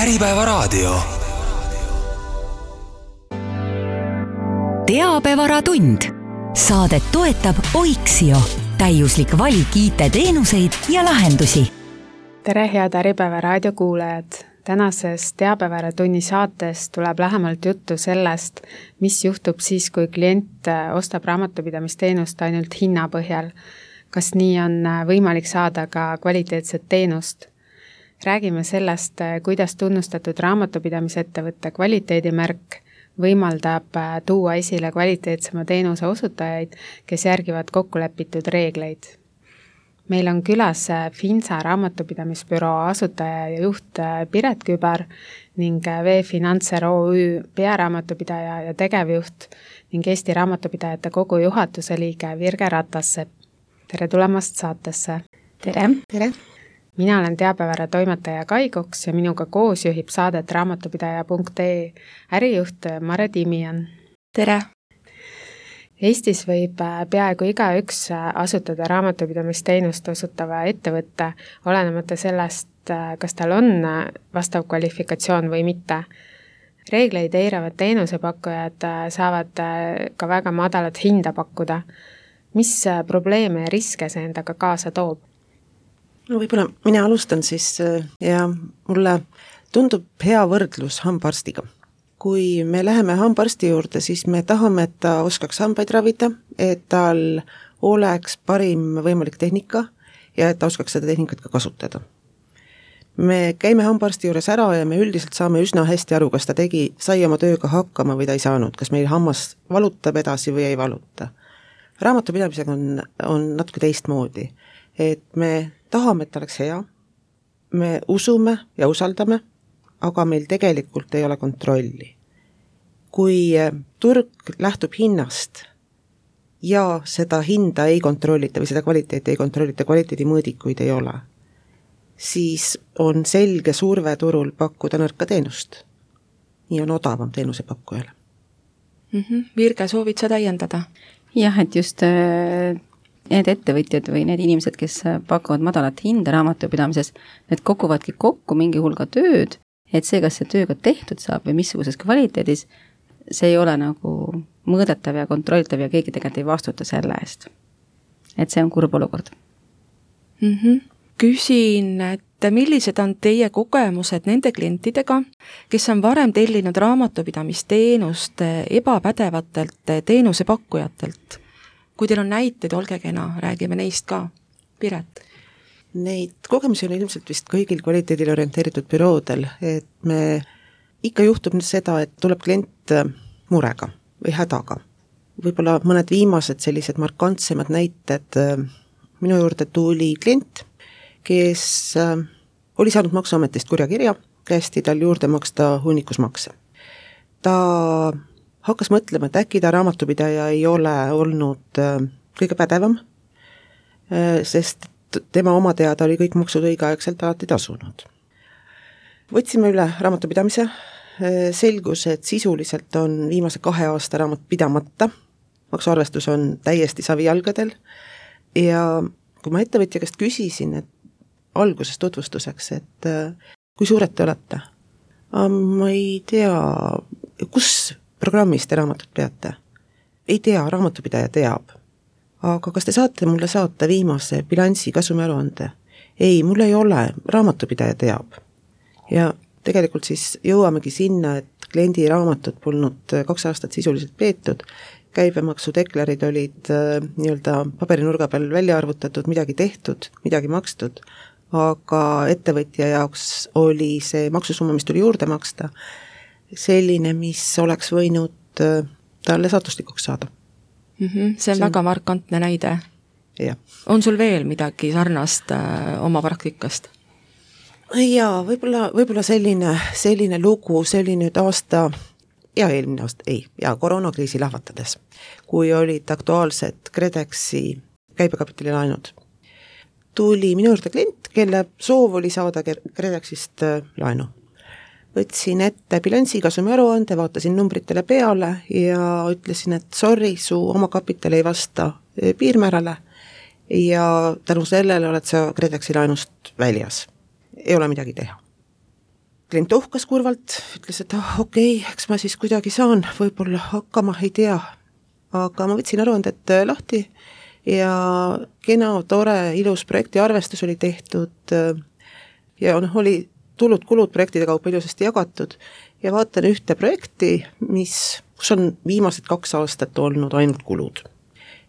Äripäevaraadio. Teabevaratund. Saadet toetab Oiksio. Täiuslik valik IT-teenuseid ja lahendusi. Tere, head Äripäevaraadio kuulajad! Tänases Teabevaaratunni saates tuleb lähemalt juttu sellest, mis juhtub siis, kui klient ostab raamatupidamisteenust ainult hinna põhjal. Kas nii on võimalik saada ka kvaliteetset teenust? Räägime sellest, kuidas tunnustatud raamatupidamisettevõtte kvaliteedimärk võimaldab tuua esile kvaliteetsema teenuse osutajaid, kes järgivad kokkulepitud reegleid. Meil on külas Finsa raamatupidamisbüroo asutaja ja juht Piret Kübar ning V-Financer OÜ pearaamatupidaja ja tegevjuht ning Eesti Raamatupidajate Kogu juhatuse liige Virge Ratassepp. Tere tulemast saatesse! Tere! Tere! Mina olen Teabevaara toimetaja Kai Koks ja minuga koos juhib saadet raamatupidaja.ee ärijuht Mare Timian. Tere! Eestis võib peaaegu igaüks asutada raamatupidamisteenust osutava ettevõtte, olenemata sellest, kas tal on vastav kvalifikatsioon või mitte. Reegleid eiravad teenusepakkujad saavad ka väga madalat hinda pakkuda. Mis probleeme ja riske see endaga kaasa toob? No võib-olla mina alustan siis ja mulle tundub hea võrdlus hambaarstiga. Kui me läheme hambaarsti juurde, siis me tahame, et ta oskaks hambaid ravida, et tal oleks parim võimalik tehnika ja et ta oskaks seda tehnikat ka kasutada. Me käime hambaarsti juures ära ja me üldiselt saame üsna hästi aru, kas ta sai oma tööga hakkama või ta ei saanud, kas meil hammas valutab edasi või ei valuta. Raamatupidamisega on natuke teistmoodi, et me tahame, et ta oleks hea, me usume ja usaldame, aga meil tegelikult ei ole kontrolli. Kui turg lähtub hinnast ja seda hinda ei kontrollita või seda kvaliteeti ei kontrollita, kvaliteedimõõdikuid ei ole, siis on selge surve turul pakkuda nõrka teenust. Nii on odavam teenusepakkujale. Virge, soovid sa täiendada? Jah, et just need ettevõtjad või need inimesed, kes pakuvad madalat hinda raamatupidamises, need kokuvadki kokku mingi hulga tööd, et see, kas see tööga tehtud saab või missuguses kvaliteedis, see ei ole nagu mõõdetav ja kontrollitav ja keegi tegelikult ei vastuta selle eest. Et see on kurb olukord. Küsin, et millised on teie kogemused nende klientidega, kes on varem tellinud raamatupidamisteenust ebapädevatelt teenusepakkujatelt? Kui teil on näiteid, olge kena, räägime neist ka. Piret? Neid kogemusi on ilmselt vist kõigil kvaliteedile orienteeritud büroodel, et me ikka juhtub nüüd seda, et tuleb klient murega või hädaga. Võib-olla mõned viimased sellised markantsemad näited. Minu juurde tuli klient, kes oli saanud Maksuametist kurjakirja, käesti tal juurde maksta hunnikusmakse. Ta hakkas mõtlema, et äkki ta raamatupidaja ei ole olnud kõige pädevam, sest tema oma teada oli kõik maksud õigeaegselt alati tasunud. Võtsime üle raamatupidamise, selgus, et sisuliselt on viimase 2 aasta raamat pidamata, maksuarvestus on täiesti savijalgadel ja kui ma ettevõtja käest küsisin, et alguses tutvustuseks, et kui suured te olete? Ma ei tea, kus programmis te raamatut peate? Ei tea, raamatupidaja teab. Aga kas te saate mulle saata viimase bilansi kasumiaruande? Ei, mul ei ole, raamatupidaja teab. Ja tegelikult siis jõuamegi sinna, et kliendi raamatut polnud 2 aastat sisuliselt peetud, käibemaksudeklarid olid nii-öelda paberinurga peal välja arvutatud, midagi tehtud, midagi makstud, aga ettevõtja jaoks oli see maksusumma, mis tuli juurde maksta, selline, mis oleks võinud talle saatuslikuks saada. See on väga markantne näide. Ja. On sul veel midagi sarnast oma praktikast? Jaa, võib-olla selline lugu, see oli nüüd aasta, ja eelmine aasta, koroonakriisi lahvatades, kui olid aktuaalsed KredExi käibekapitali laenud. Tuli minu juurde klient, kelle soov oli saada KredExist laenu. Võtsin ette bilansi kasumiaruande, vaatasin numbritele peale ja ütlesin, et sorry, su oma kapital ei vasta piirmäärale ja tänu sellele oled sa KredExi laenust väljas. Ei ole midagi teha. klient ohkas kurvalt, ütles, et okei, eks ma siis kuidagi saan võib-olla hakkama, ei tea. Aga ma võtsin aruanded lahti ja kena, tore, ilus projekti arvestus oli tehtud ja oli tulud-kulud projektide kaupa ilusasti jagatud ja vaatan ühte projekti, kus on viimased 2 aastat olnud ainult kulud.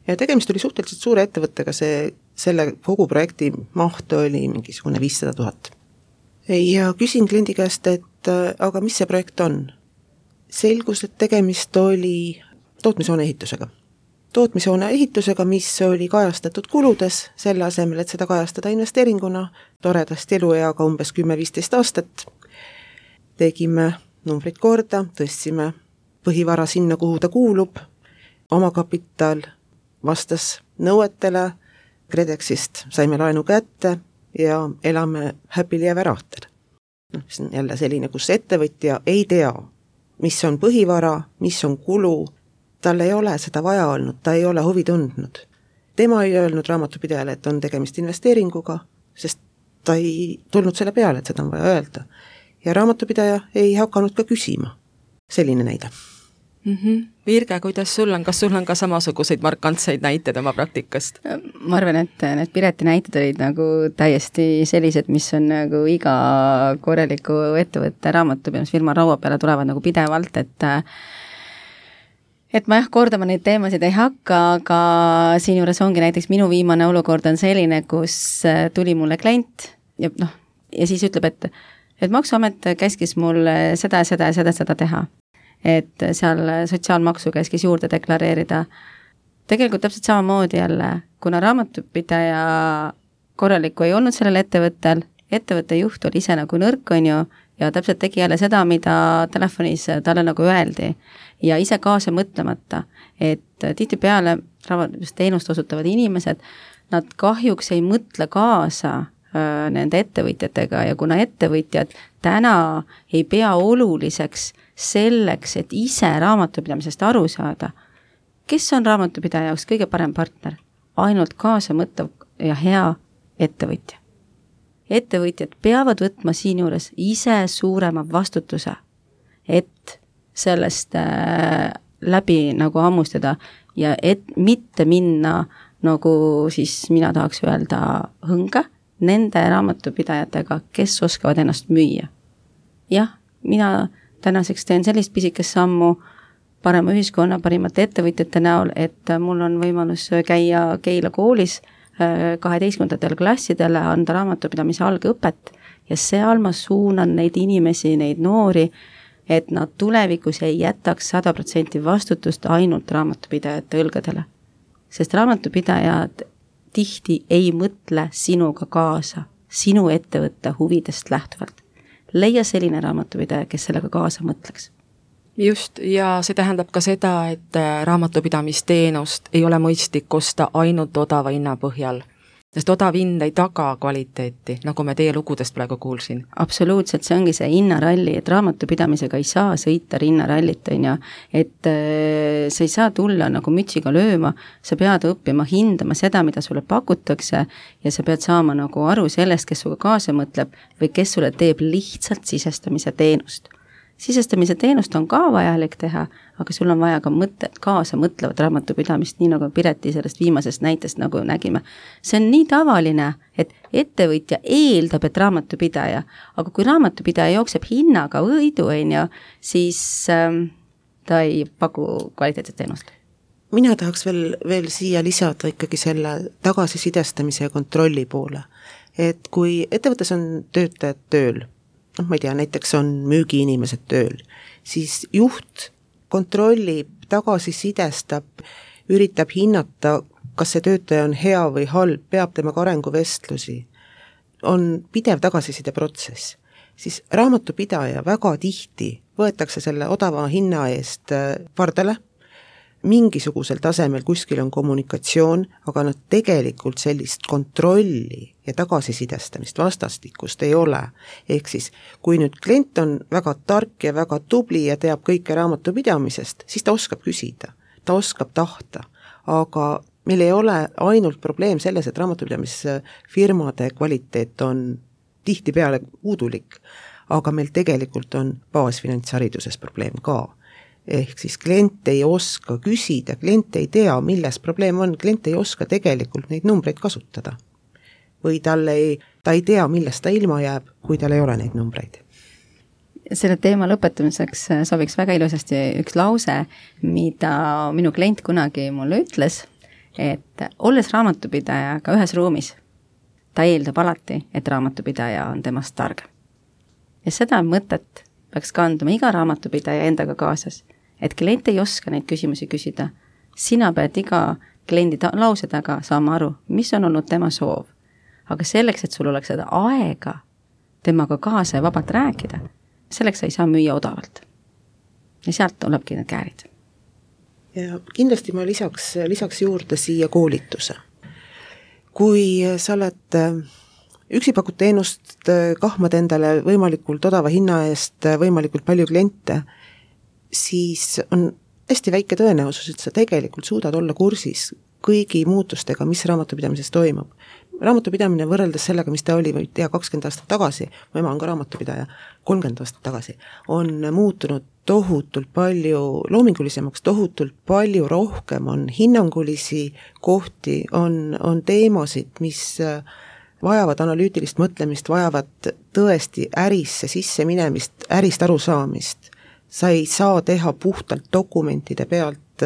Ja tegemist oli suhteliselt suure ettevõttega, selle kogu projekti maht oli mingisugune 500 000. Ja küsin kliendi käest, et aga mis see projekt on? Selgus, et tegemist oli tootmishoone ehitusega. Tootmishoone ehitusega, mis oli kajastatud kuludes, selle asemel, et seda kajastada investeeringuna, toredasti elueaga umbes 10-15 aastat. Tegime numbrid korda, tõstsime põhivara sinna, kuhu ta kuulub, omakapital vastas nõuetele, KredExist saime laenu kätte ja elame happily ever after. See on jälle selline, kus ettevõtja ei tea, mis on põhivara, mis on kulu, tal ei ole seda vaja olnud, ta ei ole huvi tundnud. Tema ei öelnud raamatupidajale, et on tegemist investeeringuga, sest ta ei tulnud selle peale, et seda on vaja öelda. Ja raamatupidaja ei hakanud ka küsima. Selline näide. Virge, kuidas sul on? Kas sul on ka samasuguseid markantseid näiteid oma praktikast? Ma arvan, et need Pireti näited olid nagu täiesti sellised, mis on nagu iga korraliku ettevõtte raamatupidamisfirma raua peale tulevad nagu pidevalt, et ma kordama neid teemasid ei hakka, aga siin juures ongi näiteks minu viimane olukord on selline, kus tuli mulle klient ja siis ütleb, et Maksuamet käskis mul seda teha. Et seal sotsiaalmaksu käskis juurde deklareerida. Tegelikult täpselt samamoodi jälle, kuna raamatupidaja korralikku ei olnud sellel ettevõtte juht oli ise nagu nõrk, on ju, ja täpselt tegi jälle seda, mida telefonis talle nagu öeldi ja ise kaasa mõtlemata, et tihtipeale raamatupidamisteenust osutavad inimesed, nad kahjuks ei mõtle kaasa nende ettevõtjatega ja kuna ettevõtjad täna ei pea oluliseks selleks, et ise raamatupidamisest aru saada, kes on raamatupidaja jaoks kõige parem partner? Ainult kaasa mõtlev ja hea ettevõtja. Ettevõtjad peavad võtma siin juures ise suurema vastutuse, et sellest läbi nagu ammustada ja et mitte minna nagu siis mina tahaks öelda hõnge nende raamatupidajatega, kes oskavad ennast müüa. Jah, mina tänaseks teen sellist pisikest sammu parema ühiskonna, parimate ettevõtjate näol, et mul on võimalus käia Keila koolis 12. klassidele, anda raamatupidamise algõpet ja seal ma suunan neid inimesi, neid noori, et nad tulevikus ei jätaks 100% vastutust ainult raamatupidajate õlgadele. Sest raamatupidajad tihti ei mõtle sinuga kaasa, sinu ettevõtte huvidest lähtuvalt. Leia selline raamatupidaja, kes sellega kaasa mõtleks. Just, ja see tähendab ka seda, et raamatupidamisteenust ei ole mõistlik osta ainult odava hinna põhjal, sest odav hind ei taga kvaliteeti, nagu me teie lugudest praegu kuulsin. Absoluutselt, see ongi see hinnaralli, et raamatupidamisega ei saa sõita hinnarallit, on ju, et sa ei saa tulla nagu mütsiga lööma, sa pead õppima hindama seda, mida sulle pakutakse ja sa pead saama nagu aru sellest, kes suga kaasa mõtleb või kes sulle teeb lihtsalt sisestamise teenust. Sisestamise teenust on ka vajalik teha, aga sul on vaja ka kaasa mõtlevat raamatupidamist, nii nagu Pireti sellest viimasest näitest nagu nägime. See on nii tavaline, et ettevõtja eeldab, et raamatupidaja, aga kui raamatupidaja jookseb hinnaga võidu, siis ta ei paku kvaliteetset teenust. Mina tahaks veel siia lisada ikkagi selle tagasisidestamise ja kontrolli poole, et kui ettevõttes on töötajad tööl, ma ei tea, näiteks on müügiinimesed tööl, siis juht kontrollib, tagasisidestab, üritab hinnata, kas see töötaja on hea või halb, peab temaga arenguvestlusi, on pidev tagasiside protsess. Siis raamatupidaja väga tihti võetakse selle odava hinna eest pardale, mingisugusel tasemel kuskil on kommunikatsioon, aga nad tegelikult sellist kontrolli ja tagasisidestamist vastastikust ei ole. Ehk siis, kui nüüd klient on väga tark ja väga tubli ja teab kõike raamatupidamisest, siis ta oskab küsida, ta oskab tahta, aga meil ei ole ainult probleem selles, et raamatupidamisfirmade kvaliteet on tihtipeale puudulik, aga meil tegelikult on baasfinantshariduses probleem ka. Ehk siis klient ei oska küsida, klient ei tea, milles probleem on, klient ei oska tegelikult neid numbreid kasutada. Või ta ei tea, millest ta ilma jääb, kui tal ei ole neid numbreid. Selle teema lõpetamiseks sobiks väga ilusasti üks lause, mida minu klient kunagi mulle ütles, et olles raamatupidajaga ühes ruumis, ta eeldab alati, et raamatupidaja on temast targem. Ja seda mõtet peaks kanduma iga raamatupidaja endaga kaasas, et klient ei oska neid küsimusi küsida. Sina pead iga kliendi lause taga saama aru, mis on olnud tema soov. Aga selleks, et sul oleks seda aega temaga kaasa ja vabalt rääkida, selleks sa ei saa müüa odavalt. Ja sealt tulebki need käärid. Ja kindlasti ma lisaks juurde siia koolituse. Kui sa oled üksi pakud teenust, kahmad endale võimalikult odava hinna eest võimalikult palju kliente, siis on hästi väike tõenäosus, et sa tegelikult suudad olla kursis kõigi muutustega, mis raamatupidamises toimub. Raamatupidamine võrreldes sellega, mis ta oli 20 aastat tagasi, mu ema on ka raamatupidaja, 30 aastat tagasi, on muutunud tohutult palju loomingulisemaks, tohutult palju rohkem, on hinnangulisi kohti, on teemasid, mis vajavad analüütilist mõtlemist, vajavad tõesti ärisse sisse minemist, ärist arusaamist. Sa ei saa teha puhtalt dokumentide pealt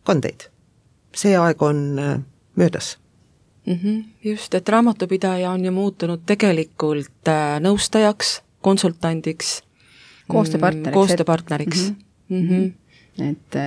kandeid. See aeg on möödas. Just, et raamatupidaja on ju muutunud tegelikult nõustajaks, konsultandiks, koostööpartneriks. Et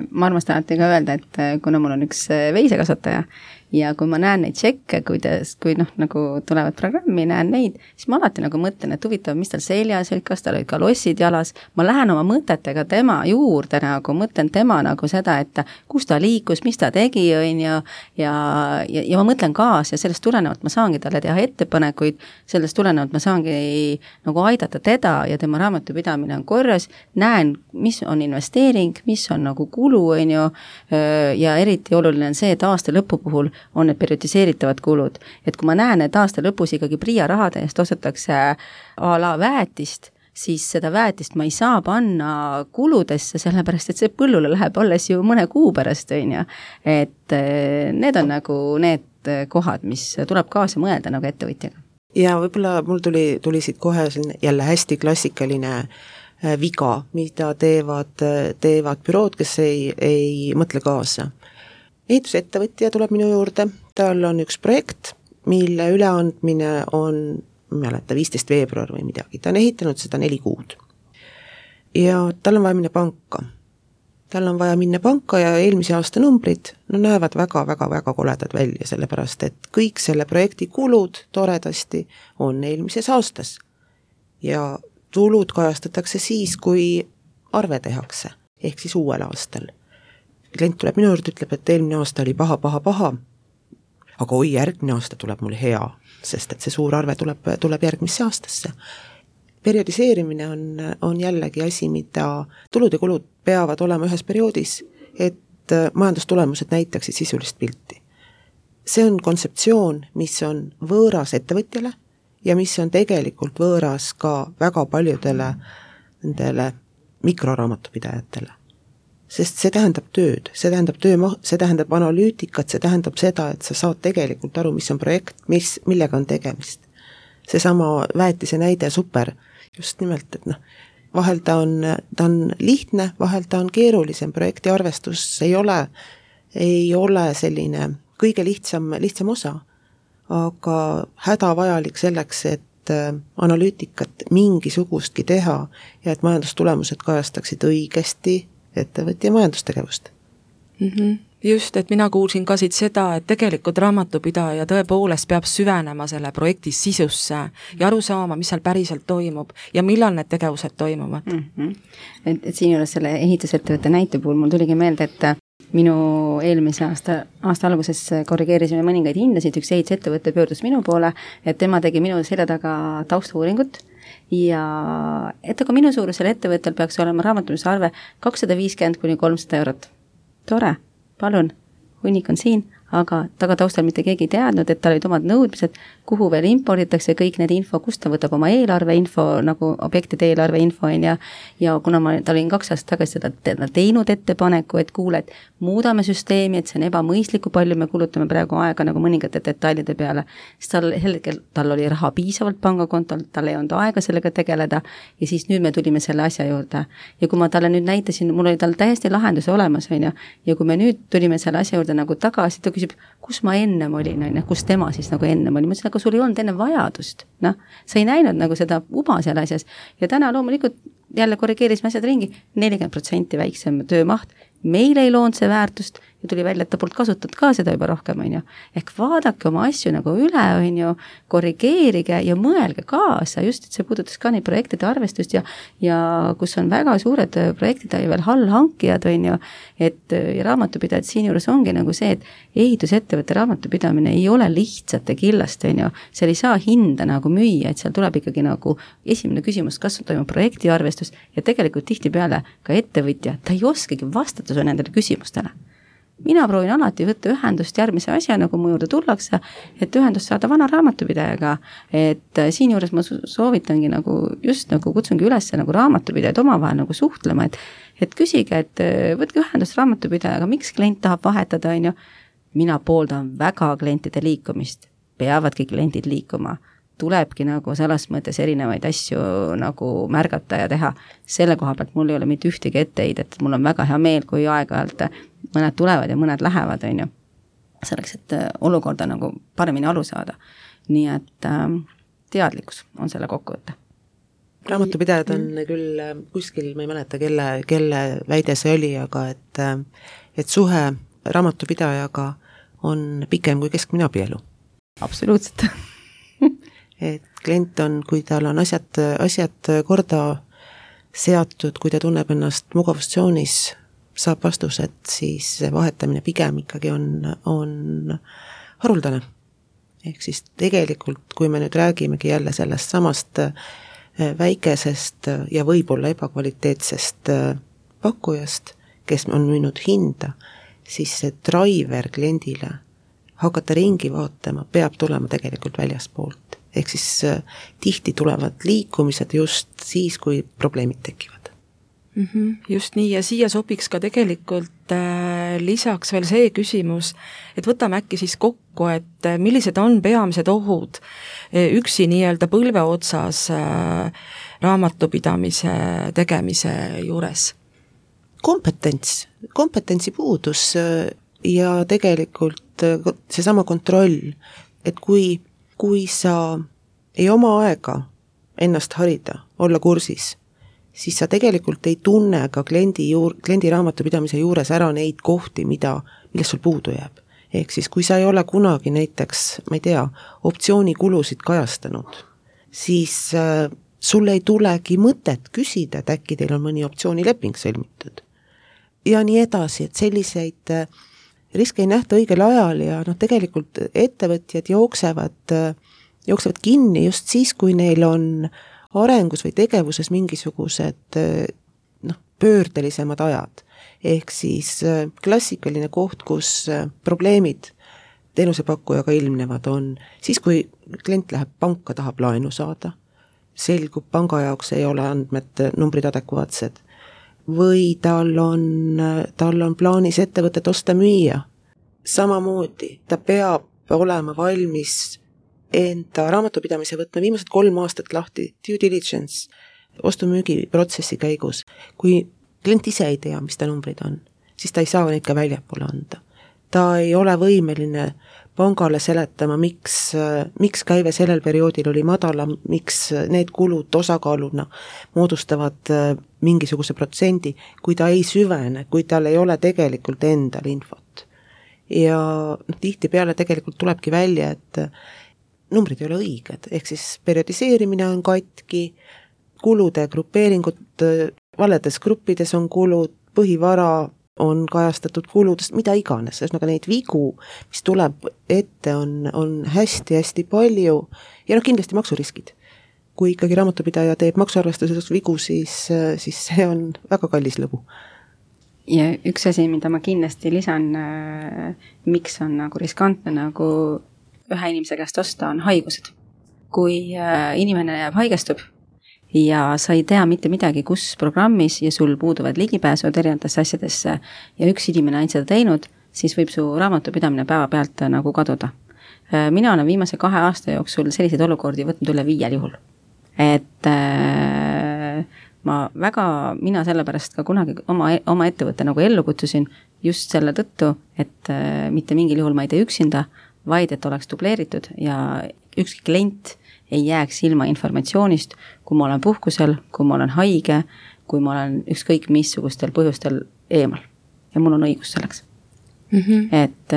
ma armastan alati ka öelda, et kuna mul on üks veisekasvataja ja kui ma näen neid tšekke, kui nagu tulevad programmi, näen neid, siis ma alati nagu mõtlen, et huvitav, mis tal seljas, kas tal olid ka lossid jalas, ma lähen oma mõtetega tema juurde nagu, mõtlen tema nagu seda, et kus ta liikus, mis ta tegi, ja ma mõtlen kaas ja sellest tulenevalt ma saangi talle teha ettepanekuid, sellest tulenevalt ma saangi nagu aidata teda ja tema raamatupidamine on korras, näen, mis on investeering, mis on nagu kulu, ja eriti oluline on see, et aasta lõpu puhul on need periodiseeritavad kulud. Et kui ma näen, et aasta lõpus ikkagi PRIA rahade eest ostetakse a la väetist, siis seda väetist ma ei saa panna kuludesse, sellepärast et see põllule läheb alles ju mõne kuu pärast, et need on nagu need kohad, mis tuleb kaasa mõelda nagu ettevõtjaga. Ja võib-olla mul tuli siit kohe jälle hästi klassikaline viga, mida teevad bürood, kes ei mõtle kaasa. Ehitusettevõtja tuleb minu juurde, tal on üks projekt, mille üleandmine on 15. veebruar või midagi, ta on ehitanud seda 4 kuud. Ja tal on vaja minna panka. Tal on vaja minna panka ja eelmise aasta numbrid näevad väga koledad välja, sellepärast et kõik selle projekti kulud toredasti on eelmises aastas. Ja tulud kajastatakse siis, kui arve tehakse, ehk siis uuel aastal. Klient tuleb minu juurde, ütleb, et eelmine aasta oli paha, aga järgmine aasta tuleb mul hea, sest et see suur arve tuleb järgmisse aastasse. Periodiseerimine on jällegi asi, mida tulud ja kulud peavad olema ühes perioodis, et majandustulemused näitaksid sisulist pilti. See on kontseptsioon, mis on võõras ettevõtjale ja mis on tegelikult võõras ka väga paljudele nendele mikroraamatupidajatele. Sest see tähendab tööd, see tähendab analüütikat, see tähendab seda, et sa saad tegelikult aru, mis on projekt, millega on tegemist. See sama väetise näide super, just nimelt, et vahel ta on lihtne, vahel ta on keerulisem, projekti arvestus ei ole selline kõige lihtsam osa, aga hädavajalik selleks, et analüütikat mingisugustki teha ja et majandustulemused kajastaksid õigesti ettevõtja majandustegevust. Just, et mina kuulsin ka siit seda, et tegelikult raamatupidaja tõepoolest peab süvenema selle projekti sisusse ja aru saama, mis seal päriselt toimub ja millal need tegevused toimuvad. Et siin juures selle ehitusettevõtte näite puhul mul tuligi meelde, et minu eelmise aasta alguses korrigeerisime mõningaid hindasid, üks ehitusettevõte pöördus minu poole, et tema tegi minu selja taga taustuuringut ja et aga minu suurusel ettevõttel peaks olema raamatupidamise arve 250–300 eurot. Tore, palun, hunnik on siin, aga taustal mitte keegi ei teadnud, et tal olid omad nõudmised, kuhu veel imporditakse kõik need info, kust ta võtab oma eelarveinfo, nagu objektide eelarveinfo ja kuna ma olin 2 aastat tagasi seda teinud ettepaneku, et kuule, et muudame süsteemi, et see on ebamõistlik, kui palju me kulutame praegu aega nagu mõningate detailide peale, siis tal oli raha piisavalt pangakontol, tal ei olnud aega sellega tegeleda ja siis nüüd me tulime selle asja juurde. Ja kui ma talle nüüd näitasin, mul oli tal täiesti lahenduse olemas, ja kui me nüüd tulime selle asja juurde nagu tagasi, ta küsib, kus ma ennem olin, kus tema siis nagu ennem oli, ma ütlesin, aga sul ei olnud enne vajadust, sa ei näinud nagu seda uba seal asjas ja täna loomulikult jälle korrigeerisime asjad ringi, 40% väiksem töömaht, meil ei loonud see väärtust ja tuli välja, et ta polnud kasutatud ka seda juba rohkem, ehk vaadake oma asju nagu üle, korrigeerige ja mõelge kaasa, just et see puudutas ka neid projektide arvestust ja kus on väga suured projektid ja veel allhankijad, et ja raamatupidajad siin juures ongi nagu see, et ehitusettevõtte raamatupidamine ei ole lihtsate killast, seal ei saa hinda nagu müüa, et seal tuleb ikkagi nagu esimene küsimus, kas toimub projekti arvestus ja tegelikult tihtipeale ka ettevõtja, ta ei oskagi vastata su nendele küsimustele. Mina proovin alati võtta ühendust järgmise asja, nagu mu juurde tullakse, et ühendust saada vana raamatupidajaga, et siin juures ma soovitangi nagu, just nagu kutsungi üles nagu raamatupidajad omavahel nagu suhtlema, et küsige, et võtke ühendust raamatupidajaga, miks klient tahab vahetada, mina pooldan väga klientide liikumist, peavadki kliendid liikuma, tulebki nagu selles mõttes erinevaid asju nagu märgata ja teha. Selle koha pealt mul ei ole mitte ühtegi etteheidet, et mul on väga hea meel, kui aeg-ajalt mõned tulevad ja mõned lähevad, selleks, et olukorda nagu paremini aru saada. Nii et teadlikkus on selle kokkuvõte. Raamatupidajad on küll kuskil, ma ei mäleta, kelle väide see oli, aga et suhe raamatupidajaga on pikem kui keskmine abielu. Absoluutselt. Et klient on, kui tal on asjad korda seatud, kui ta tunneb ennast mugavustsoonis, saab vastused, siis vahetamine pigem ikkagi on haruldane. Ehk siis tegelikult, kui me nüüd räägimegi jälle sellest samast väikesest ja võib-olla ebakvaliteetsest pakkujast, kes on müünud hinda, siis see driver kliendile hakata ringi vaatama, peab tulema tegelikult väljaspoolt. Ehk siis tihti tulevad liikumised just siis, kui probleemid tekivad. Just nii ja siia sobiks ka tegelikult lisaks veel see küsimus, et võtame äkki siis kokku, et millised on peamised ohud üksi nii-öelda põlve otsas raamatupidamise tegemise juures? Kompetentsi puudus ja tegelikult seesama kontroll, et kui sa ei oma aega ennast harida, olla kursis, siis sa tegelikult ei tunne ka kliendi raamatupidamise juures ära neid kohti, millest sul puudu jääb. Ehk siis, kui sa ei ole kunagi näiteks, ma ei tea, optsioonikulusid kajastanud, siis sul ei tulegi mõtet küsida, et äkki teil on mõni optsioonileping sõlmitud. Ja nii edasi, et selliseid riske ei nähta õigel ajal ja tegelikult ettevõtjad jooksevad kinni just siis, kui neil on arengus või tegevuses mingisugused pöördelisemad ajad. Ehk siis klassikaline koht, kus probleemid teenusepakkujaga ilmnevad on siis, kui klient läheb panka, tahab laenu saada, selgub panga jaoks ei ole andmed, numbrid adekvaatsed, või tal on plaanis ettevõtet osta müüa. Samamoodi ta peab olema valmis enda raamatupidamise võtma viimased 3 aastat lahti, due diligence, ostu-müügi protsessi käigus. Kui klient ise ei tea, mis ta numbrid on, siis ta ei saa neid ka väljapoole anda. Ta ei ole võimeline pangale seletama, miks käive sellel perioodil oli madalam, miks need kulud osakaaluna moodustavad mingisuguse protsendi, kui ta ei süvene, kui tal ei ole tegelikult endal infot. Ja tihtipeale tegelikult tulebki välja, et numbrid ei ole õiged, ehk siis periodiseerimine on katki, kulude grupeeringud valedes gruppides on kulud, põhivara on kajastatud kuludest, mida iganes, ühesõnaga neid vigu, mis tuleb ette, on hästi-hästi palju ja kindlasti maksuriskid. Kui ikkagi raamatupidaja teeb maksuarvestuses vigu, siis see on väga kallis lõbu. Ja üks asi, mida ma kindlasti lisan, miks on nagu riskantne nagu ühe inimese käest osta, on haigused. Kui inimene haigestub ja sa ei tea mitte midagi, kus programmis ja sul puuduvad ligipääsud erinevatesse asjadesse ja üks inimene ainult seda teinud, siis võib su raamatupidamine päeva pealt nagu kaduda. Mina olen viimase 2 aasta jooksul selliseid olukordi võtnud üle 5 juhul. Et mina sellepärast ka kunagi oma ettevõtte nagu ellu kutsusin just selle tõttu, et mitte mingil juhul ma ei tee üksinda, vaid et oleks dubleeritud ja ükski klient ei jääks ilma informatsioonist, kui ma olen puhkusel, kui ma olen haige, kui ma olen ükskõik missugustel põhjustel eemal. Ja mul on õigus selleks. Et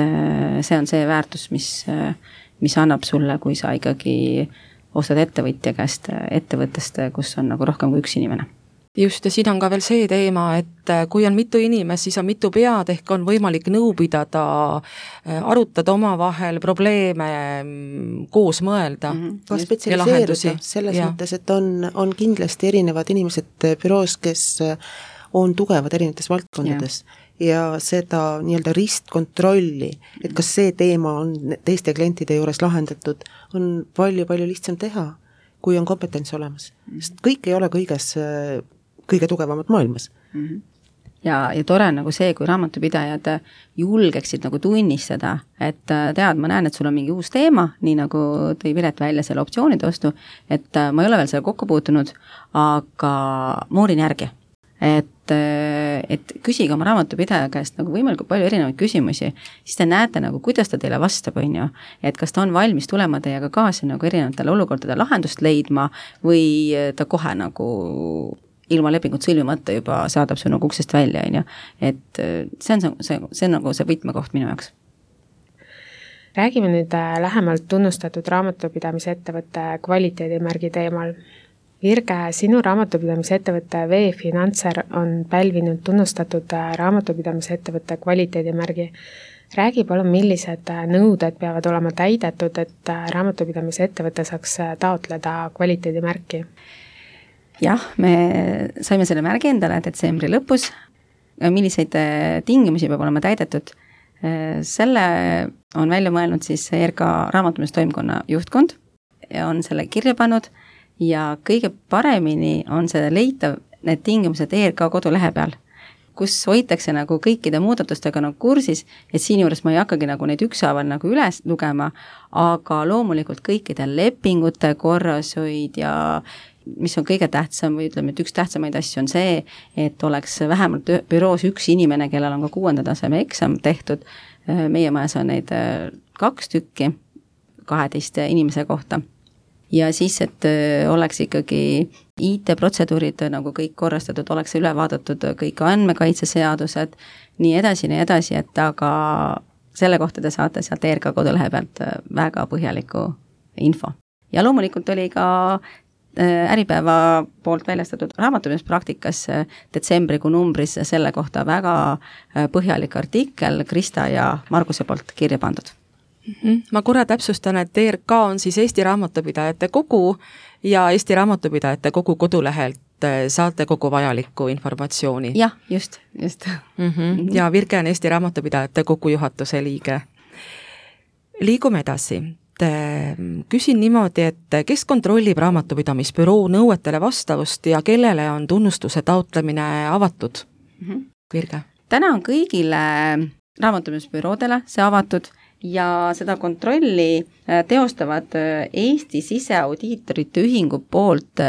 see on see väärtus, mis annab sulle, kui sa ikkagi ostad ettevõtja käest ettevõttest, kus on nagu rohkem kui üks inimene. Just, ja siin on ka veel see teema, et kui on mitu inimest, siis on mitu pead, ehk on võimalik nõu pidada, arutada omavahel probleeme, koos mõelda. Ka spetsialiseeruda selles mõttes, et on kindlasti erinevad inimesed büroos, kes on tugevad erinevates valdkondades ja seda nii-öelda ristkontrolli, et kas see teema on teiste klientide juures lahendatud, on palju-palju lihtsam teha, kui on kompetents olemas. Sest kõik ei ole kõige tugevamad maailmas. Ja tore on nagu see, kui raamatupidajad julgeksid nagu tunnistada, et tead, ma näen, et sul on mingi uus teema, nii nagu tõi Piret välja selle optsioonide ostu, et ma ei ole veel selle kokku puutunud, aga moorin järgi. Et küsige oma raamatupidaja käest nagu võimalikult palju erinevaid küsimusi, siis te näete nagu, kuidas ta teile vastab, on ju. Et kas ta on valmis tulema teiega kaasa nagu erinevatele olukordade lahendust leidma või ta kohe nagu ilma lepingut sõlmimata juba saadab su nagu uksest välja, on ju. Et see on nagu see võtmekoht minu jaoks. Räägime nüüd lähemalt tunnustatud raamatupidamise ettevõtte kvaliteedimärgi teemal. Virge, sinu raamatupidamise ettevõtte V-Financer on pälvinud tunnustatud raamatupidamise ettevõtte kvaliteedimärgi. Räägi palun, millised nõuded peavad olema täidetud, et raamatupidamise ettevõte saaks taotleda kvaliteedimärki? Jah, me saime selle märgi endale detsembri lõpus. Milliseid tingimusi peab olema täidetud? Selle on välja mõelnud siis ERK raamatupidamise juhtkond ja on selle kirja pannud. Ja kõige paremini on see leitav need tingimused ERK kodulehe peal, kus hoitakse nagu kõikide muudatustega nagu kursis, et siin juures ma ei hakkagi nagu neid ükshaaval nagu üles lugema, aga loomulikult kõikide lepingute korrashoid ja mis on kõige tähtsam või ütleme, et üks tähtsamaid asju on see, et oleks vähemalt büroos üks inimene, kellel on ka 6. taseme eksam tehtud. Meie majas on neid 2 tükki 12 inimese kohta. Ja siis, et oleks ikkagi IT-protseduurid nagu kõik korrastatud, oleks üle vaadatud kõik andmekaitseseadused, nii edasi, et aga selle kohta te saate sealt ERK kodulehe pealt väga põhjaliku info. Ja loomulikult oli ka Äripäeva poolt väljastatud raamatupidamispraktikas detsembrikuu numbris selle kohta väga põhjalik artikkel Krista ja Marguse poolt kirja pandud. Ma korra täpsustan, et ERK on siis Eesti Raamatupidajate Kogu ja Eesti Raamatupidajate Kogu kodulehelt saate kogu vajalikku informatsiooni. Jah, just. Ja Virge on Eesti Raamatupidajate Kogu juhatuse liige. Liigume edasi. Küsin niimoodi, et kes kontrollib raamatupidamisbüroo nõuetele vastavust ja kellele on tunnustuse taotlemine avatud? Virge. Täna on kõigile raamatupidamisbüroodele see avatud ja seda kontrolli teostavad Eesti siseaudiitorite ühingu poolt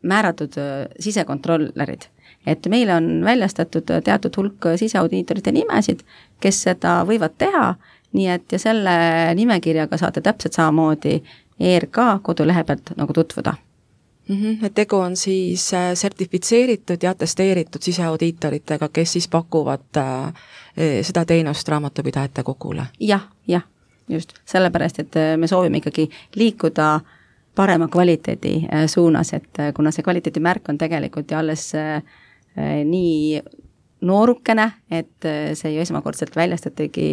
määratud sisekontrollerid. Et meil on väljastatud teatud hulk siseaudiitorite nimesid, kes seda võivad teha, nii et ja selle nimekirjaga saate täpselt samamoodi ERK kodulehe pealt nagu tutvuda. Et tegu on siis sertifitseeritud ja atesteeritud siseaudiitoritega, kes siis pakuvad seda teenust raamatupidajate kogule. Jah, just. Sellepärast, et me soovime ikkagi liikuda parema kvaliteedi suunas, et kuna see kvaliteedimärk on tegelikult ja alles nii noorukene, et see ju esmakordselt väljastatigi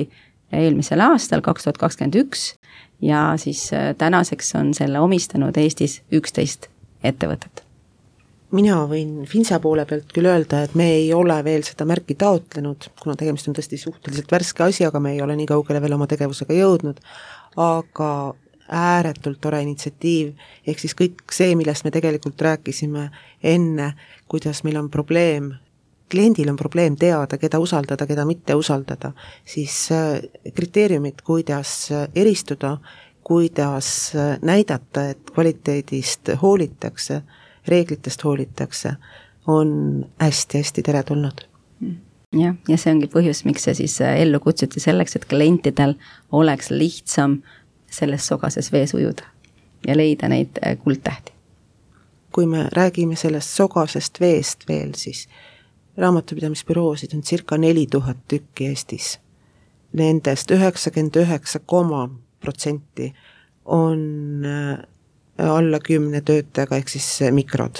eelmisel aastal 2021 ja siis tänaseks on selle omistanud Eestis 11 ettevõtet. mina võin Finsa poole pealt küll öelda, et me ei ole veel seda märki taotlenud, kuna tegemist on tõesti suhteliselt värske asjaga, me ei ole nii kaugele veel oma tegevusega jõudnud, aga ääretult tore initsiatiiv, ehk siis kõik see, millest me tegelikult rääkisime enne, kuidas meil on probleem, kliendil on probleem teada, keda usaldada, keda mitte usaldada, siis kriteeriumid, kuidas eristuda, kuidas näidata, et kvaliteedist hoolitakse, reeglitest hoolitakse, on hästi-hästi teretulnud. Ja see ongi põhjus, miks see siis ellu kutsuti selleks, et klientidel oleks lihtsam selles sogases vees ujuda ja leida neid kuldtähti. Kui me räägime sellest sogasest veest veel, siis raamatupidamisbüroosid on circa 4000 tükki Eestis. Nendest 99,% on alla 10 töötajaga, ehk siis mikrod.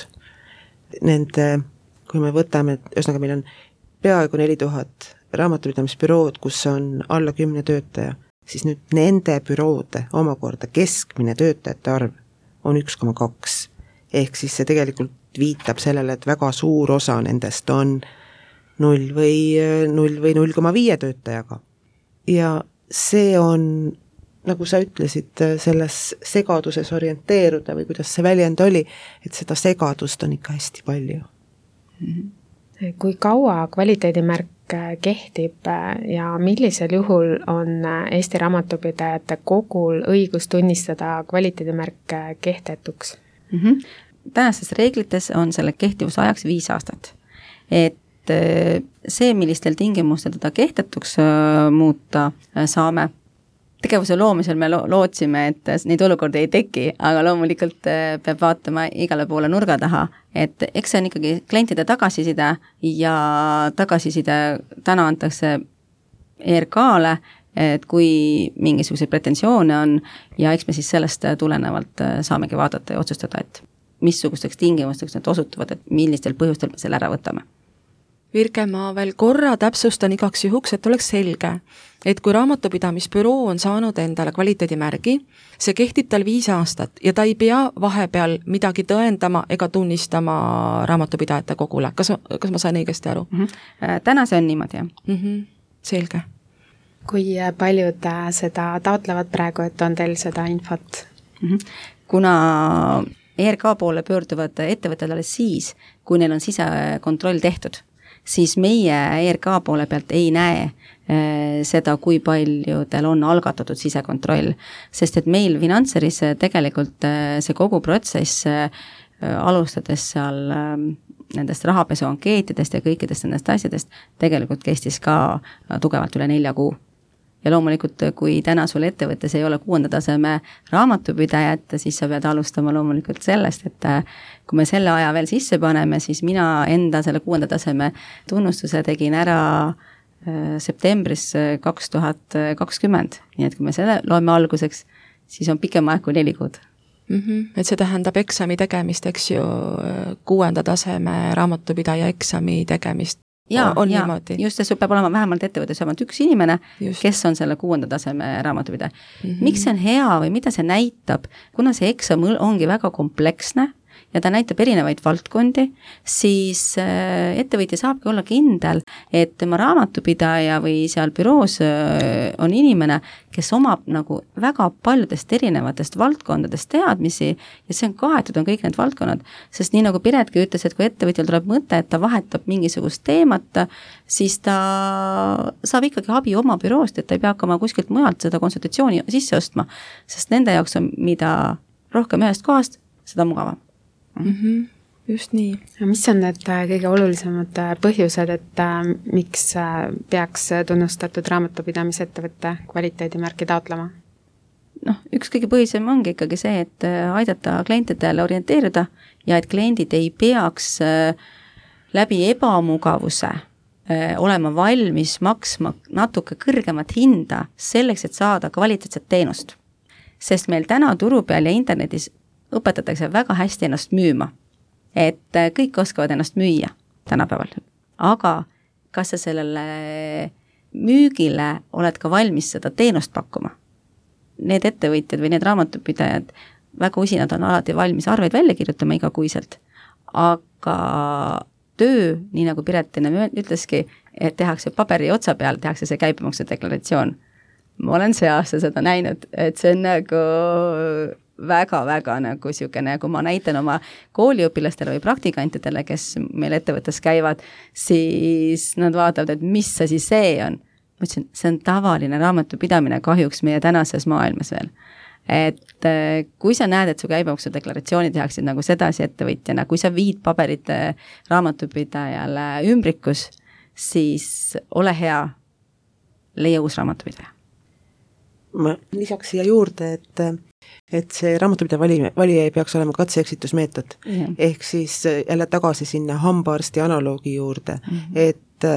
Nende, kui me võtame, ühesõnaga meil on peaaegu 4000 raamatupidamisbürood, kus on alla 10 töötaja, siis nüüd nende büroode omakorda keskmine töötajate arv on 1,2. Ehk siis see tegelikult viitab sellele, et väga suur osa nendest on 0 või 0,5 töötajaga. Ja see on, nagu sa ütlesid, selles segaduses orienteeruda või kuidas see väljend oli, et seda segadust on ikka hästi palju. Kui kaua kvaliteedimärk kehtib ja millisel juhul on Eesti Raamatupidajate Kogul õigus tunnistada kvaliteedimärk kehtetuks? Tänastes reeglites on selle kehtivuse ajaks 5 aastat. Et see, millistel tingimustel teda kehtetuks muuta saame, tegevuse loomisel me lootsime, et neid olukordi ei teki, aga loomulikult peab vaatama igale poole nurga taha, et eks see on ikkagi klientide tagasiside ja tagasiside täna antakse ERK-le, et kui mingisuguseid pretensioone on ja eks me siis sellest tulenevalt saamegi vaadata ja otsustada, et missugusteks tingimusteks need osutuvad, et millistel põhjustel me selle ära võtame. Virge, ma veel korra täpsustan igaks juhuks, et oleks selge, et kui raamatupidamisbüroo on saanud endale kvaliteedimärgi, see kehtib tal 5 aastat ja ta ei pea vahepeal midagi tõendama ega tunnistama Raamatupidajate Kogule. Kas ma sain õigesti aru? Täna see on niimoodi, jah. Selge. Kui paljud seda taotlevad praegu, et on teil seda infot? Kuna ERK poole pöörduvad ettevõtted alles siis, kui neil on sisekontroll tehtud, siis meie ERK poole pealt ei näe seda, kui paljudel on algatatud sisekontroll, sest et meil Finantseris tegelikult see kogu protsess alustades seal nendest rahapesuankeetidest ja kõikidest nendest asjadest tegelikult kestis ka tugevalt üle 4 kuu. Ja loomulikult, kui täna sul ettevõttes ei ole 6. taseme raamatupidajat, siis sa pead alustama loomulikult sellest, et kui me selle aja veel sisse paneme, siis mina enda selle 6. taseme tunnustuse tegin ära septembris 2020. Nii et kui me selle loeme alguseks, siis on pikem aeg kui 4 kuud. Et see tähendab eksami tegemist, eks ju, 6. taseme raamatupidaja eksami tegemist. Ja, just see peab olema vähemalt ettevõttes vähemalt 1 inimene, kes on selle 6. taseme raamatupidaja. Miks see on hea või mida see näitab, kuna see eksam ongi väga kompleksne ja ta näitab erinevaid valdkondi, siis ettevõtja saabki olla kindel, et tema raamatupidaja või seal büroos on inimene, kes omab nagu väga paljudest erinevatest valdkondadest teadmisi ja see on kaetud, on kõik need valdkonnad, sest nii nagu Piretki ütles, et kui ettevõtjal tuleb mõte, et ta vahetab mingisugust teemat, siis ta saab ikkagi abi oma büroost, et ta ei pea hakkama kuskilt mujalt seda konsultatsiooni sisse ostma, sest nende jaoks on mida rohkem ühest kohast, seda mugavam. Just nii. Mis on need kõige olulisemad põhjused, et miks peaks tunnustatud raamatupidamisettevõtte kvaliteedimärki taotlema? Üks kõige põhisem ongi ikkagi see, et aidata klientidele orienteeruda ja et kliendid ei peaks läbi ebamugavuse olema valmis maksma natuke kõrgemat hinda selleks, et saada kvaliteetset teenust. Sest meil täna turu peal ja internetis õpetatakse väga hästi ennast müüma, et kõik oskavad ennast müüa tänapäeval. Aga kas sa sellele müügile oled ka valmis seda teenust pakkuma? Need ettevõtjad või need raamatupidajad väga usinad on alati valmis arveid välja kirjutama igakuiselt, aga töö, nii nagu Piret enne ütleski, et tehakse paberi otsa peal, tehakse see käibemaksu deklaratsioon. Ma olen see aasta seda näinud, et see on nagu väga-väga nagu niisugune, kui ma näitan oma kooliõpilastele või praktikantidele, kes meil ettevõttes käivad, siis nad vaatavad, et mis asi see on. Ma ütlesin, see on tavaline raamatupidamine kahjuks meie tänases maailmas veel. Et kui sa näed, et su käibemaksu deklaratsiooni tehaksid nagu sedasi ettevõtjana, kui sa viid paberid raamatupidajale ümbrikus, siis ole hea, leia uus raamatupidaja. Ma lisaks siia juurde, et see raamatupidaja valija ei peaks olema katse-eksitusmeetod. Ehk siis jälle tagasi sinna hambaarsti analoogi juurde, et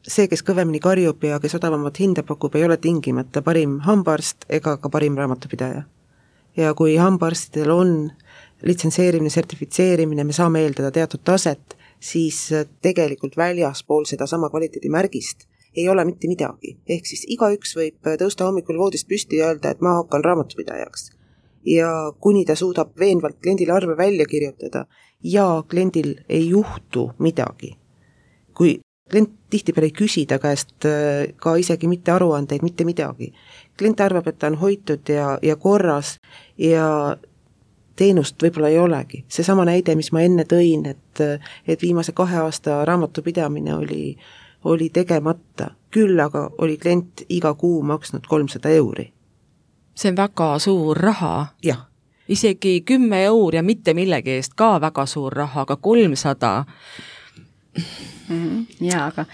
see, kes kõvemini karjub ja kes odavamat hinda pakub, ei ole tingimata parim hambaarst ega ka parim raamatupidaja. Ja kui hambaarstidel on litsenseerimine, sertifitseerimine, me saame eeldada teatud taset, siis tegelikult väljaspool seda sama kvaliteedimärgist ei ole mitte midagi. Ehk siis igaüks võib tõusta hommikul voodist püsti ja öelda, et ma hakkan raamatupidajaks. Ja kuni ta suudab veenvalt kliendile arve välja kirjutada ja kliendil ei juhtu midagi. Kui klient tihtipeale ei küsida käest ka isegi mitte aruandeid, mitte midagi. Klient arvab, et ta on hoitud ja korras ja teenust võib-olla ei olegi. See sama näide, mis ma enne tõin, et viimase 2 aasta raamatupidamine oli tegemata. Küll aga oli klient iga kuu maksnud 300 €. See on väga suur raha. Jah. Isegi 10 € ja mitte millegi eest ka väga suur raha, aga 300. Jaa, aga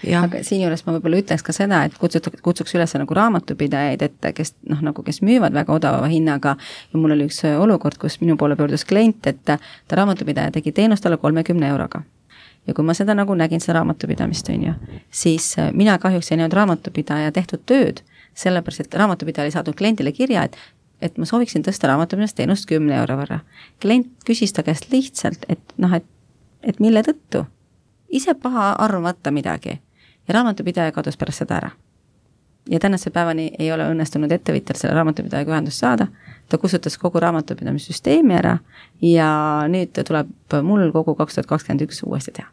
siin juures ma võib-olla ütleks ka seda, et kutsuks üles nagu raamatupidajaid, et kes müüvad väga odava hinnaga ja mul oli üks olukord, kus minu poole pöördus klient, et ta raamatupidaja tegi teenust talle 30 € ja kui ma seda nagu nägin, seda raamatupidamist on ju, siis mina kahjuks ei näinud raamatupidaja tehtud tööd, sellepärast, et raamatupidaja oli saadud kliendile kirja, et ma sooviksin tõsta raamatupidamist teenust 10 € võrra. Klient küsis ta käest lihtsalt, et mille tõttu? Ise paha arvamata midagi ja raamatupidaja kadus pärast seda ära. Ja tänase päevani ei ole õnnestunud ettevõtjal selle raamatupidajaga ühendust saada, ta kustutas kogu raamatupidamissüsteemi ära ja nüüd tuleb mul kogu 2021 uuesti teha.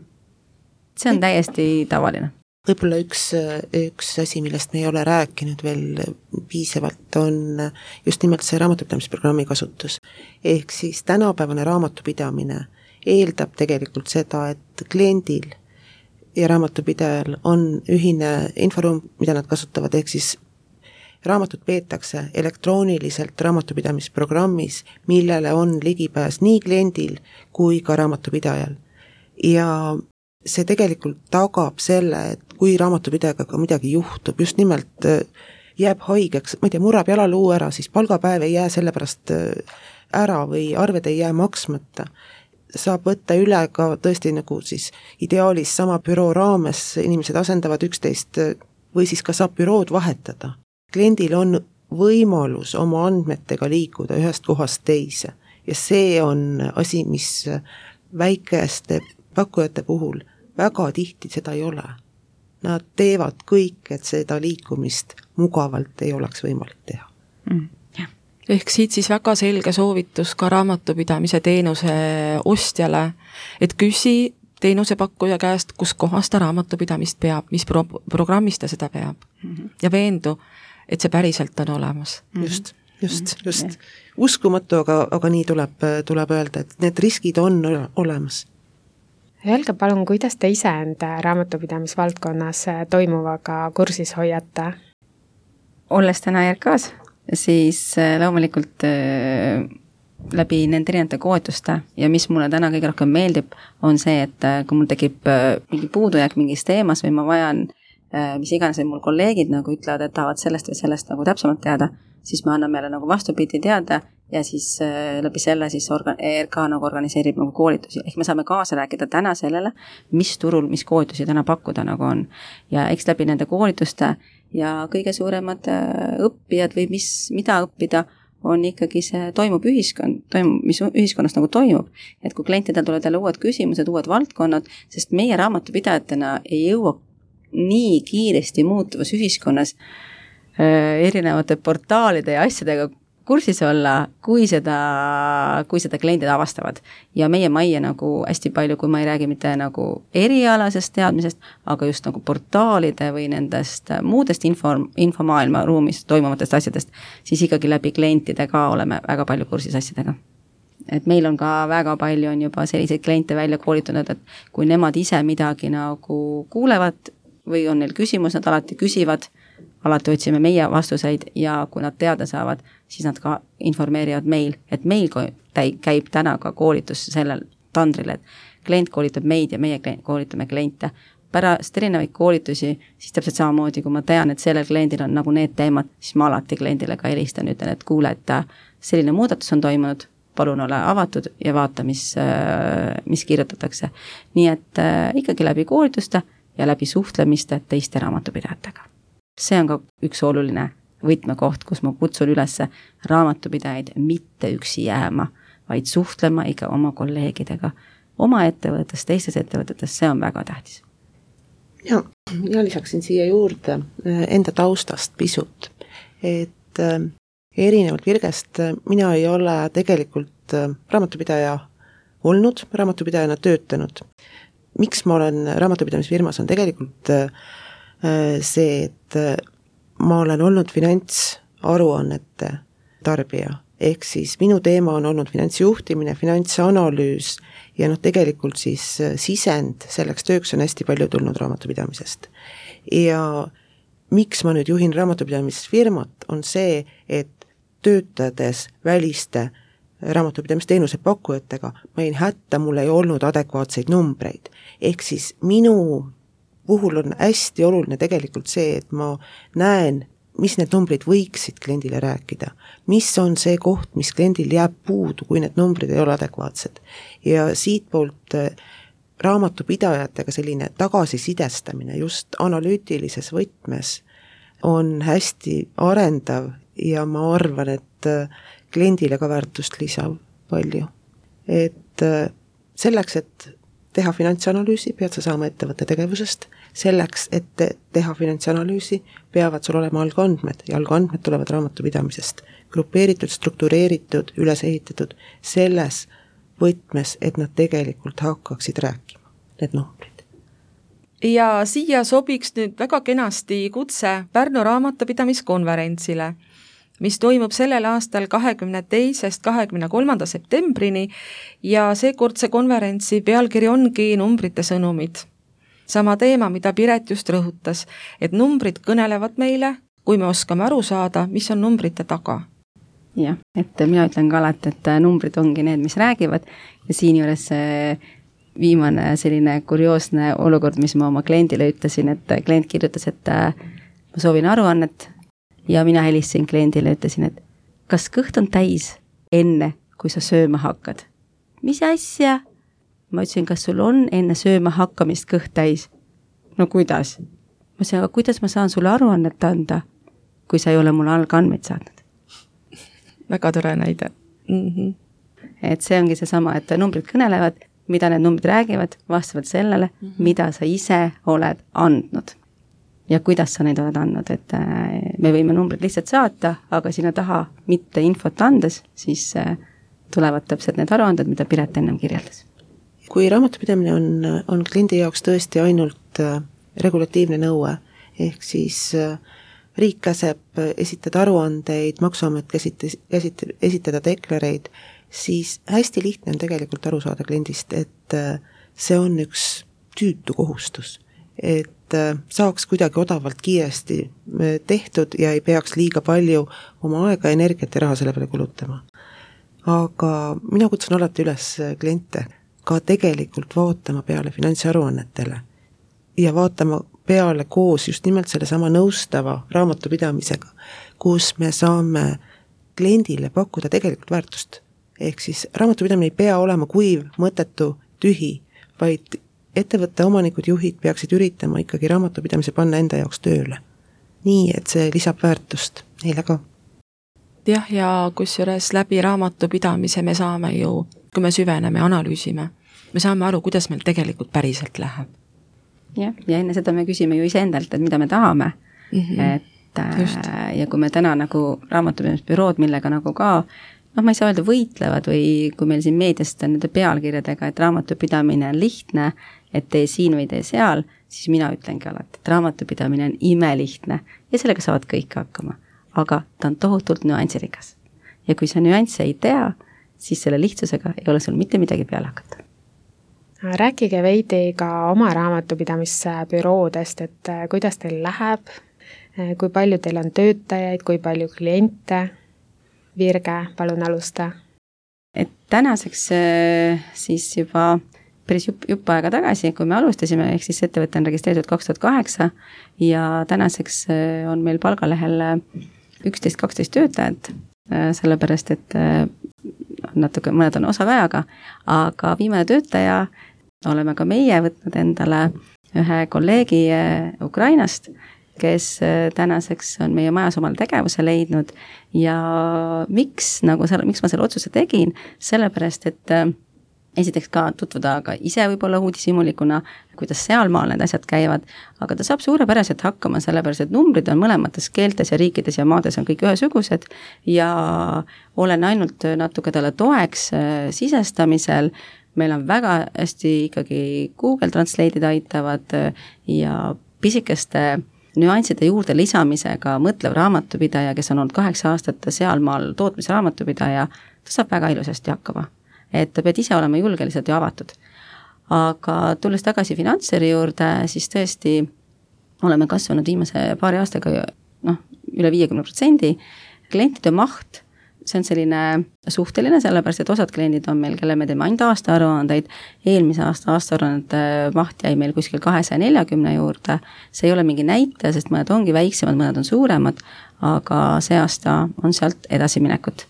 See on täiesti tavaline. Võib-olla üks asi, millest me ei ole rääkinud veel piisavalt, on just nimelt see raamatupidamisprogrammi kasutus. Ehk siis tänapäevane raamatupidamine eeldab tegelikult seda, et kliendil ja raamatupidajal on ühine inforuum, mida nad kasutavad, ehk siis raamatut peetakse elektrooniliselt raamatupidamisprogrammis, millele on ligipääs nii kliendil kui ka raamatupidajal. Ja see tegelikult tagab selle, et kui raamatupidajaga ka midagi juhtub, just nimelt jääb haigeks, ma ei tea, murab jalaluu ära, siis palgapäev ei jää sellepärast ära või arved ei jää maksmata. Saab võtta üle ka tõesti nagu siis ideaalis sama büroo raames, inimesed asendavad üksteist või siis ka saab bürood vahetada. Kliendil on võimalus oma andmetega liikuda ühest kohast teise ja see on asi, mis väikeste pakkujate puhul väga tihti seda ei ole. Nad teevad kõik, et seda liikumist mugavalt ei oleks võimalik teha. Ehk siit siis väga selge soovitus ka raamatupidamise teenuse ostjale, et küsi teenusepakkuja käest, kus kohas ta raamatupidamist peab, mis programmis ta seda peab ja veendu, et see päriselt on olemas. Just. Uskumatu, aga nii tuleb öelda, et need riskid on olemas. Öelge palun, kuidas te ise enda raamatupidamisvaldkonnas toimuvaga kursis hoiate? Olles täna ERK-s, siis loomulikult läbi nende erinevate koetuste ja mis mulle täna kõige rohkem meeldib, on see, et kui mul tekib mingi puudujääk mingis teemas või ma vajan, mis iganes mul kolleegid nagu ütlevad, et tahavad sellest või sellest nagu täpsemalt teada, siis ma annan meile nagu vastupidi teada ja siis läbi selle siis ERK nagu organiseerib nagu koolitusi. Ehk me saame kaasa rääkida täna sellele, mis turul, mis koolitusi täna pakkuda nagu on. Ja eks läbi nende koolituste ja kõige suuremad õppijad või mida õppida, on ikkagi see mis ühiskonnas nagu toimub. Et kui klientidel tulevad jälle uued küsimused, uued valdkonnad, sest meie raamatupidajatena ei jõua nii kiiresti muutuvas ühiskonnas erinevate portaalide ja asjadega kursis olla, kui seda kliendid avastavad. Ja meie majja nagu hästi palju, kui ma ei räägi mitte nagu erialasest teadmisest, aga just nagu portaalide või nendest muudest infomaailma ruumis toimuvatest asjadest, siis ikkagi läbi klientide ka oleme väga palju kursis asjadega. Et meil on ka väga palju on juba selliseid kliente välja koolitunud, et kui nemad ise midagi nagu kuulevad või on neil küsimus, nad alati küsivad, alati otsime meie vastuseid ja kui nad teada saavad, siis nad ka informeerivad meil, et meil käib täna ka koolitus sellel tandril, et klient koolitab meid ja meie koolitame kliente. Pärast erinevaid koolitusi, siis täpselt samamoodi, kui ma tean, et sellel kliendil on nagu need teemad, siis ma alati kliendile ka helistan, ütlen, et kuule, et selline muudatus on toimunud, palun ole avatud ja vaata, mis kirjutatakse. Nii et ikkagi läbi koolituste ja läbi suhtlemiste teiste raamatupidajatega. See on ka üks oluline võtmekoht, kus ma kutsun üles raamatupidajaid mitte üksi jääma, vaid suhtlema ikka oma kolleegidega, oma ettevõttes, teistes ettevõtetes, see on väga tähtis. Ja lisaksin siia juurde enda taustast pisut, et erinevalt Virgest mina ei ole tegelikult raamatupidaja olnud, raamatupidajana töötanud. Miks ma olen raamatupidamisfirmas on tegelikult see, et ma olen olnud finantsaruannete tarbija, ehk siis minu teema on olnud finantsjuhtimine, finantsanalüüs ja tegelikult siis sisend selleks tööks on hästi palju tulnud raamatupidamisest. Ja miks ma nüüd juhin raamatupidamisfirmat, on see, et töötades väliste raamatupidamisteenuse pakkujatega, ma jäin hätta, mul ei olnud adekvaatseid numbreid. Ehk siis minu puhul on hästi oluline tegelikult see, et ma näen, mis need numbrid võiksid kliendile rääkida, mis on see koht, mis kliendil jääb puudu, kui need numbrid ei ole adekvaatsed. Ja siit poolt raamatupidajatega selline tagasisidestamine just analüütilises võtmes on hästi arendav ja ma arvan, et kliendile ka väärtust lisav palju. Et selleks, et teha finantsanalüüsi, pead sa saama ettevõtte tegevusest, selleks, et teha finantsanalüüsi, peavad sul olema algandmed ja algandmed tulevad raamatupidamisest. Grupeeritud, struktureeritud, üles ehitatud selles võtmes, et nad tegelikult hakkaksid rääkima, need numbrid. Ja siia sobiks nüüd väga kenasti kutse Pärnu raamatupidamiskonverentsile, mis toimub sellel aastal 22.–23. septembrini ja seekordse konverentsi pealkiri ongi numbrite sõnumid. Sama teema, mida Piret just rõhutas, et numbrid kõnelevad meile, kui me oskame aru saada, mis on numbrite taga. Jah, et mina ütlen ka alati, et numbrid ongi need, mis räägivad ja siin juures viimane selline kurioosne olukord, mis ma oma kliendile ütlesin, et klient kirjutas, et ma soovin aruannet ja mina helistasin kliendile ja ütlesin, et kas kõht on täis enne, kui sa sööma hakkad? Mis asja? Ma ütlesin, kas sul on enne sööma hakkamist kõht täis? No kuidas? Ma ütlesin, aga kuidas ma saan sulle aruannet anda, kui sa ei ole mulle algandmeid saatnud? Väga tore näide. Et see ongi see sama, et numbrid kõnelevad, mida need numbrid räägivad, vastavalt sellele, mida sa ise oled andnud. Ja kuidas sa neid oled andnud, et me võime numbrid lihtsalt saata, aga sinna taha mitte infot andes, siis tulevad täpselt need aruanded, mida Piret ennem kirjeldas. Kui raamatupidamine on kliendi jaoks tõesti ainult regulatiivne nõue, ehk siis riik käseb esitada aruandeid, maksuamet esitada deklareid, siis hästi lihtne on tegelikult aru saada kliendist, et see on üks tüütu kohustus, et saaks kuidagi odavalt kiiresti tehtud ja ei peaks liiga palju oma aega, energiat ja raha selle peale kulutama. Aga mina kutsun alati üles kliente ka tegelikult vaatama peale finantsaruannetele ja vaatama peale koos just nimelt selle sama nõustava raamatupidamisega, kus me saame kliendile pakkuda tegelikult väärtust. Ehk siis raamatupidamine ei pea olema kuiv, mõttetu, tühi, vaid ettevõtte omanikud, juhid peaksid üritama ikkagi raamatupidamise panna enda jaoks tööle. Nii, et see lisab väärtust neile ka. Jah, ja kusjuures läbi raamatupidamise me saame ju, kui me süveneme, analüüsime, me saame aru, kuidas meil tegelikult päriselt läheb. Ja enne seda me küsime ju iseendalt, et mida me tahame. Et ja kui me täna nagu raamatupidamisbürood, millega nagu ka ma ei saa öelda võitlevad või kui meil siin meediast on nende pealkirjadega, et raamatupidamine on lihtne, et tee siin või tee seal, siis mina ütlengi alati, et raamatupidamine on imelihtne ja sellega saavad kõik hakkama, aga ta on tohutult nüansirikas. Ja kui sa nüansse ei tea, siis selle lihtsusega ei ole sul mitte midagi peale hakata. Rääkige veidi ka oma raamatupidamisbüroodest, et kuidas teil läheb, kui palju teil on töötajaid, kui palju kliente. Virge, palun alusta. Et tänaseks siis juba päris jupp aega tagasi, kui me alustasime, ehk siis ettevõte on registreeritud 2008 ja tänaseks on meil palgalehel 11-12 töötajat, sellepärast et natuke, mõned on osaajaga, aga viimane töötaja oleme ka meie võtnud endale ühe kolleegi Ukrainast, kes tänaseks on meie majas omale tegevuse leidnud ja miks ma selle otsuse tegin, sellepärast, et esiteks ka tutvuda ka ise võib-olla uudishimulikuna, kuidas sealmaal need asjad käivad, aga ta saab suurepäraselt hakkama, sellepärast, et numbrid on mõlemates keeltes ja riikides ja maades on kõik ühesugused ja olen ainult natuke talle toeks sisestamisel. Meil on väga hästi ikkagi Google Translate'id aitavad ja pisikeste nüansside juurde lisamisega mõtlev raamatupidaja, kes on olnud 8 aastat sealmaal tootmisraamatupidaja, ta saab väga ilusasti hakkama. Et ta pead ise olema julgeliselt ja avatud. Aga tulles tagasi finantseri juurde, siis tõesti oleme kasvanud viimase paari aastaga üle 50%. Klientide maht, see on selline suhteline, sellepärast, et osad kliendid on meil, kelle me teeme ainult aastaaruandeid, eelmise aastaaruannete maht jäi meil kuskil 240 juurde, see ei ole mingi näitaja, sest mõned ongi väiksemad, mõned on suuremad, aga see aasta on sealt edasiminekut.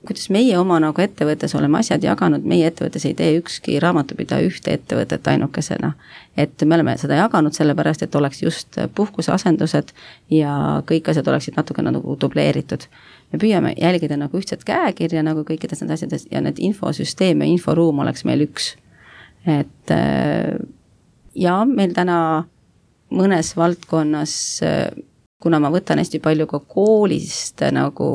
Kuidas meie oma nagu ettevõttes oleme asjad jaganud, meie ettevõttes ei tee ükski raamatupidaja ühte ettevõtet ainukesena. Et me oleme seda jaganud sellepärast, et oleks just puhkuseasendused ja kõik asjad oleksid natuke nagu dubleeritud. Me püüame jälgida nagu ühtset käekirja nagu kõikides need asjades ja need infosüsteem ja inforuum oleks meil üks. Et ja meil täna mõnes valdkonnas, kuna ma võtan hästi palju ka koolist, nagu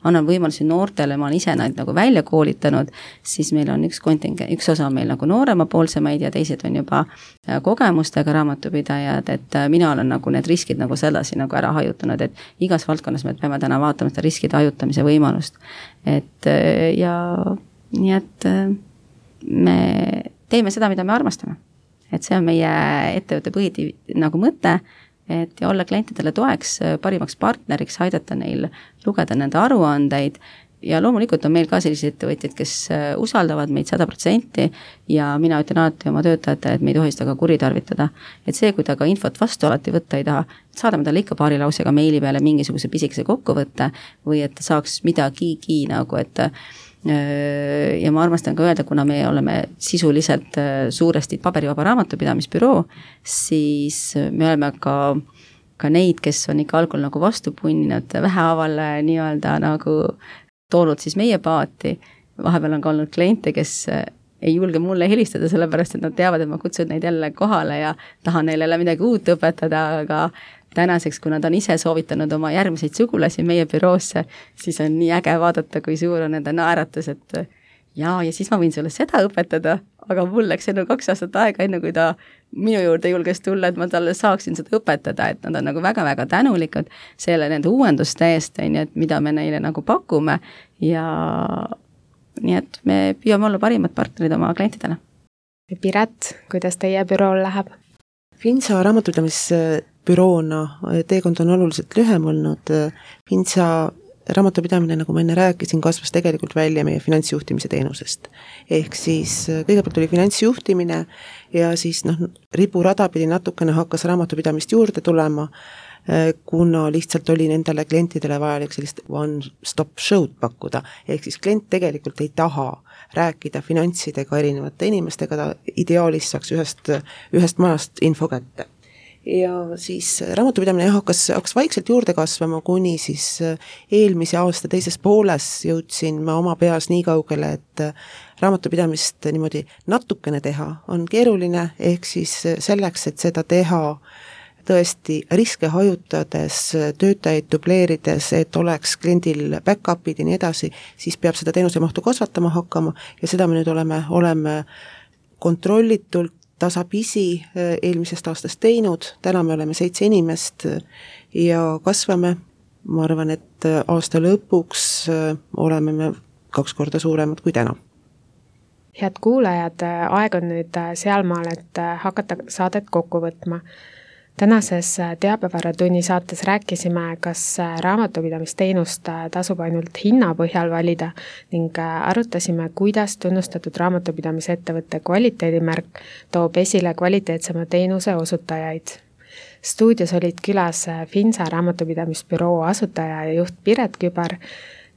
annan võimalusi noortele, ma olen ise nad nagu välja koolitanud, siis meil on üks osa meil nagu nooremapoolsemaid ja teised on juba kogemustega raamatupidajad, et mina olen nagu need riskid nagu sedasi nagu ära hajutanud, et igas valdkonnas me peame täna vaatama seda riskide hajutamise võimalust. Et ja nii, et me teeme seda, mida me armastame. Et see on meie ettevõtte põhiti nagu mõte, et ja olla klientidele toeks, parimaks partneriks, aidata neil lugeda nende aruandeid ja loomulikult on meil ka sellised ettevõtjad, kes usaldavad meid 100% ja mina ütlen alati oma töötajatele, et me ei tohi seda ka kuritarvitada. Et see, kui ta ka infot vastu alati võtta ei taha, saadame talle ikka paari lausega meili peale mingisuguse pisikese kokkuvõtte või et ta saaks midagigi nagu, et ja ma armastan ka öelda, kuna me oleme sisuliselt suuresti paberivaba raamatupidamisbüroo, siis me oleme ka neid, kes on ikka algul nagu vastu punninud vähehaaval nii-öelda nagu toonud siis meie paati. Vahepeal on ka olnud kliente, kes ei julge mulle helistada, sellepärast, et nad teavad, et ma kutsun neid jälle kohale ja tahan neile midagi uut õpetada, aga tänaseks, kui nad on ise soovitanud oma järgmiseid sugulasi meie büroosse, siis on nii äge vaadata, kui suur on nende naeratus, et ja siis ma võin sulle seda õpetada, aga mul läks enne 2 aastat aega, enne kui ta minu juurde julges tulla, et ma talle saaksin seda õpetada, et nad on nagu väga-väga tänulikud selle nende uuenduste eest, et mida me neile nagu pakume ja nii, et me püüame olla parimad partnerid oma klientidele. Piret, kuidas teie bürool läheb? Finsa raamatupidamisbüroona teekond on oluliselt lühem olnud. Finsa raamatupidamine, nagu ma enne rääkisin, kasvas tegelikult välja meie finantsjuhtimise teenusest. Ehk siis kõigepealt oli finantsjuhtimine ja siis riburada pidi natukene hakkas raamatupidamist juurde tulema, kuna lihtsalt oli nendele klientidele vajalik sellist one-stop show'd pakkuda. Ehk siis klient tegelikult ei taha rääkida finantsidega erinevate inimestega, ta ideaalis saaks ühest majast info kätte. Ja siis raamatupidamine hakkas vaikselt juurde kasvama, kuni siis eelmise aasta teises pooles jõudsin ma oma peas nii kaugele, et raamatupidamist niimoodi natukene teha on keeruline, ehk siis selleks, et seda teha tõesti riske hajutades, töötajaid dubleerides, et oleks kliendil back-up'id ja nii edasi, siis peab seda teenuse mahtu kasvatama hakkama ja seda me nüüd oleme kontrollitult tasapisi eelmisest aastast teinud, täna me oleme 7 inimest ja kasvame, ma arvan, et aasta lõpuks oleme me 2 korda suuremad kui täna. Head kuulajad, aeg on nüüd sealmaal, et hakata saadet kokku võtma. Tänases Teabevääratunni saates rääkisime, kas raamatupidamisteenust tasub ainult hinna põhjal valida ning arutasime, kuidas tunnustatud raamatupidamisettevõtte kvaliteedimärk toob esile kvaliteetsema teenuse osutajaid. Stuudios olid külas Finsa raamatupidamisbüroo asutaja ja juht Piret Kübar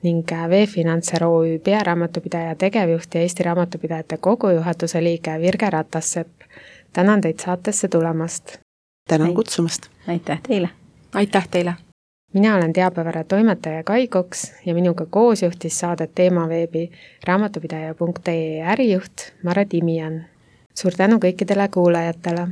ning V-Financer OÜ pearaamatupidaja tegevjuht ja Eesti Raamatupidajate Kogu juhatuse liige Virge Ratassepp. Tänan teid saatesse tulemast. Tänan kutsumast. Aitäh teile. Aitäh teile. Mina olen Teabeväära toimetaja Kai Koks ja minuga koos juhtis saadet Teemaveebi raamatupidaja.ee ärijuht Mare Timian. Suur tänu kõikidele kuulajatele.